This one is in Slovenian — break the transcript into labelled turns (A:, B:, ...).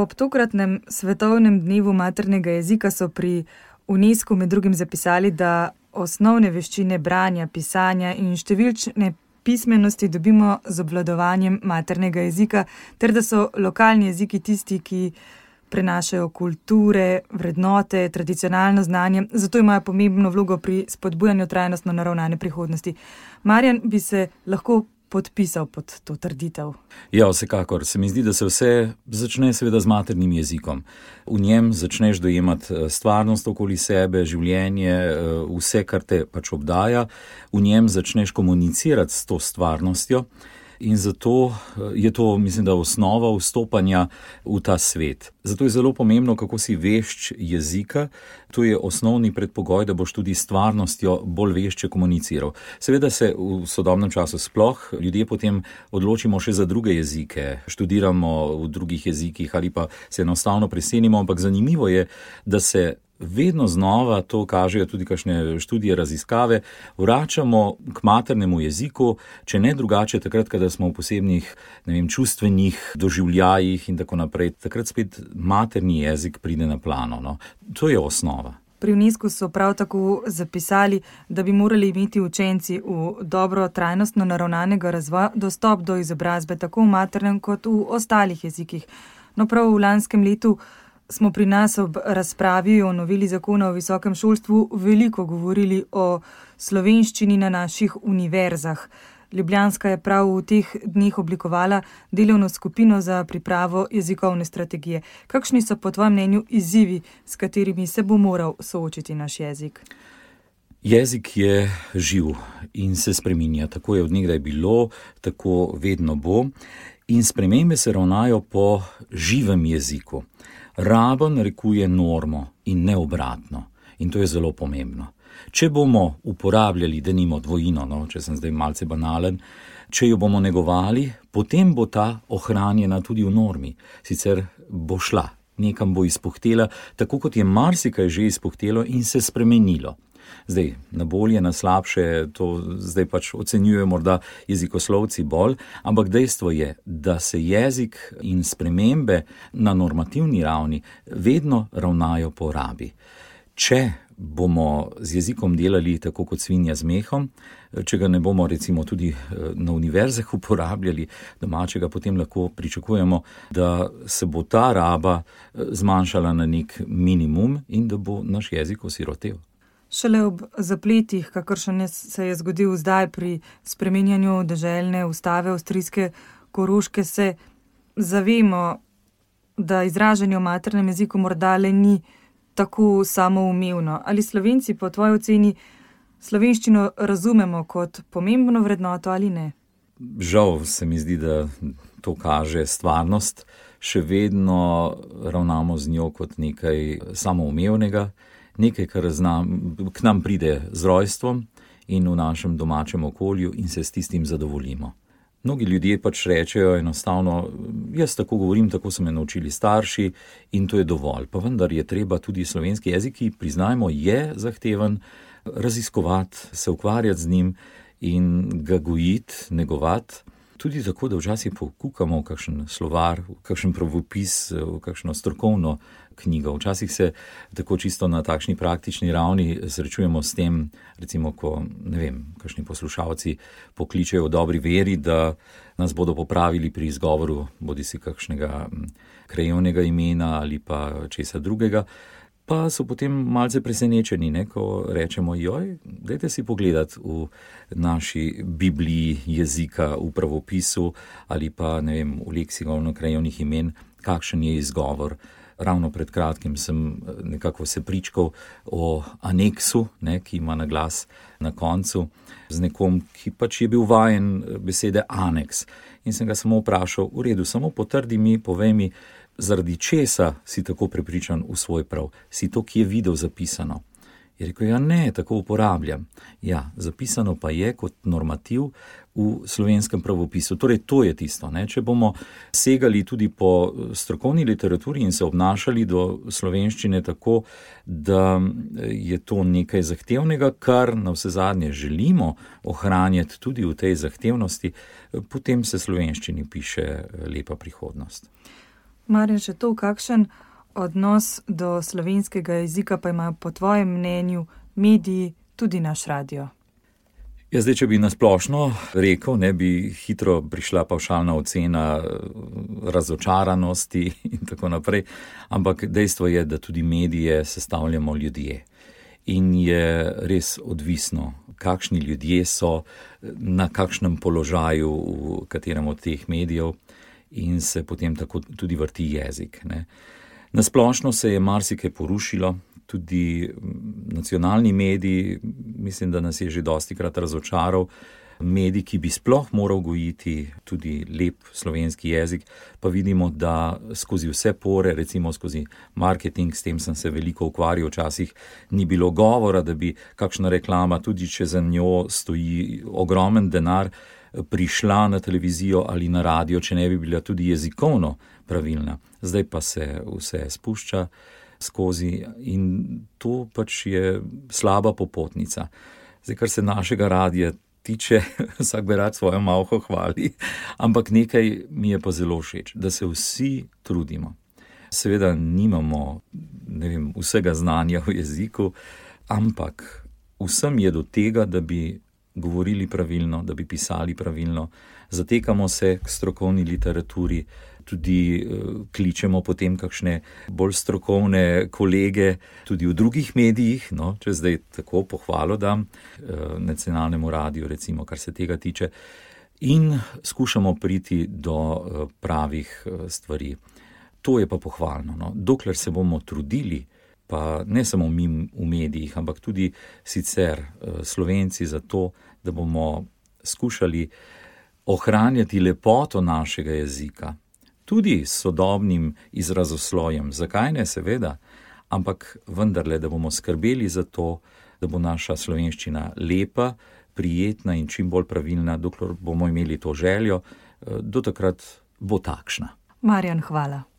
A: Ob tokratnem svetovnem dnevu maternega jezika so pri UNESCO med drugim zapisali, da osnovne veščine branja, pisanja in številčne pismenosti dobimo z obvladovanjem maternega jezika, ter da so lokalni jeziki tisti, ki prenašajo kulture, vrednote, tradicionalno znanje, zato imajo pomembno vlogo pri spodbujanju trajnostno naravnane prihodnosti. Marjan bi se lahko podpisal pod to trditev.
B: Ja, vsekakor. Se mi zdi, da se vse začne seveda z maternim jezikom. V njem začneš dojemati stvarnost okoli sebe, življenje, vse, kar te pač obdaja. V njem začneš komunicirati s to stvarnostjo in zato je to, mislim, da osnova vstopanja v ta svet. Zato je zelo pomembno, kako si vešč jezika. To je osnovni predpogoj, da boš tudi s stvarnostjo bolj vešče komuniciral. Seveda se v sodobnem času sploh ljudje potem odločimo še za druge jezike, študiramo v drugih jezikih ali pa se enostavno preselimo, ampak zanimivo je, da se vedno znova, to kažejo tudi kakšne študije, raziskave, vračamo k maternemu jeziku, če ne drugače takrat, kada smo v posebnih, čustvenih doživljajih in tako naprej. Takrat spet materni jezik pride na plano. No. To je osnova.
A: Pri UNESCO so prav tako zapisali, da bi morali imeti učenci v dobro trajnostno naravnanega razvoja dostop do izobrazbe tako v maternem kot v ostalih jezikih. No, prav v lanskem letu smo pri nas ob razpravi o noveli zakona o visokem šolstvu veliko govorili o slovenščini na naših univerzah. Ljubljanska je prav v teh dneh oblikovala delovno skupino za pripravo jezikovne strategije. Kakšni so po tvojem mnenju izzivi, s katerimi se bo moral soočiti naš jezik?
B: Jezik je živ in se spreminja. Tako je od nekdaj bilo, tako vedno bo. In spremembe se ravnajo po živem jeziku. Raba narekuje normo in ne obratno. In to je zelo pomembno. Če bomo uporabljali denimo dvojino, če sem zdaj malce banalen, če jo bomo negovali, potem bo ta ohranjena tudi v normi. Sicer bo šla, nekam bo izpuhtela, tako kot je marsikaj že izpuhtelo in se spremenilo. Zdaj, na bolje, na slabše, to zdaj pač ocenjujejo morda jezikoslovci bolj, ampak dejstvo je, da se jezik in spremembe na normativni ravni vedno ravnajo po rabi. Če bomo z jezikom delali tako kot svinja z mehom, če ga ne bomo recimo tudi na univerzah uporabljali domačega, potem lahko pričakujemo, da se bo ta raba zmanjšala na nek minimum in da bo naš jezik osirotel.
A: Šele ob zapletih, kakršen se je zgodil zdaj pri spreminjanju deželne ustave avstrijske Koroške, se zavemo, da izražanje v maternem jeziku morda le ni tako samoumevno. Ali Slovenci po tvoji oceni slovenščino razumemo kot pomembno vrednoto ali ne?
B: Žal se mi zdi, da to kaže stvarnost. Še vedno ravnamo z njo kot nekaj samoumevnega, nekaj, kar k nam pride z rojstvom in v našem domačem okolju in se s tistim zadovoljimo. Mnogi ljudje pač rečejo enostavno, jaz tako govorim, tako so me naučili starši in to je dovolj. Pa vendar je treba tudi slovenski jezik, ki priznajmo, je zahteven, raziskovati, se ukvarjati z njim in ga gojiti, negovati. Tudi tako, da včasih pokukamo v kakšen slovar, v kakšen pravopis, v kakšno strokovno knjigo. Včasih se tako čisto na takšni praktični ravni srečujemo s tem, recimo, ko, kakšni poslušalci pokličejo v dobri veri, da nas bodo popravili pri izgovoru bodisi kakšnega krajevnega imena ali pa česa drugega. Pa so potem malce presenečeni, ko rečemo, dajte si pogledati v naši Bibliji jezika, v pravopisu ali pa, v leksikonu krajevnih imen, kakšen je izgovor. Ravno pred kratkim sem nekako se pričkal o aneksu, ki ima naglas na koncu, z nekom, ki pač je bil vajen besede aneks. In sem ga samo vprašal, v redu, samo potrdi mi, povej mi, zaradi česa si tako prepričan v svoj prav? Si to, ki je videl zapisano? Je rekel, ne, tako uporabljam. Zapisano pa je kot normativ v slovenskem pravopisu. Torej, to je tisto. Če bomo segali tudi po strokovni literaturi in se obnašali do slovenščine tako, da je to nekaj zahtevnega, kar navsezadnje želimo ohranjati tudi v tej zahtevnosti, potem se slovenščini piše lepa prihodnost.
A: Marjan, še to, kakšen odnos do slovenskega jezika pa imajo po tvojem mnenju mediji, tudi naš radio?
B: Ja, zdaj, če bi nasplošno rekel, ne bi hitro prišla pavšalna ocena razočaranosti in tako naprej, ampak dejstvo je, da tudi medije sestavljamo ljudje. In je res odvisno, kakšni ljudje so, na kakšnem položaju v katerem od teh medijev in se potem tako tudi vrti jezik, ne. Nasplošno se je marsikaj porušilo, tudi nacionalni mediji, mislim, da nas je že dostikrat razočaral, medij, ki bi sploh moral gojiti tudi lep slovenski jezik, pa vidimo, da skozi vse pore, recimo skozi marketing, s tem sem se veliko ukvarjal, včasih ni bilo govora, da bi kakšna reklama, tudi če za njo stoji ogromen denar, prišla na televizijo ali na radio, če ne bi bila tudi jezikovno pravilna. Zdaj pa se vse spušča skozi in to pač je slaba popotnica. Zdaj, kar se našega radia tiče, vsak bi rad svojo malho hvali, ampak nekaj mi je pa zelo všeč, da se vsi trudimo. Seveda nimamo, vsega znanja v jeziku, ampak vsem je do tega, da bi govorili pravilno, da bi pisali pravilno, zatekamo se k strokovni literaturi, tudi kličemo potem kakšne bolj strokovne kolege, tudi v drugih medijih, če zdaj tako pohvalo dam, nacionalnemu radiju, recimo, kar se tega tiče, in skušamo priti do pravih stvari. To je pa pohvalno, Dokler se bomo trudili, pa ne samo mi v medijih, ampak tudi sicer Slovenci za to, da bomo skušali ohranjati lepoto našega jezika, tudi s sodobnim izrazoslojem. Zakaj ne, seveda, ampak vendarle, da bomo skrbeli za to, da bo naša slovenščina lepa, prijetna in čim bolj pravilna, dokler bomo imeli to željo, do takrat bo takšna.
A: Marjan, hvala.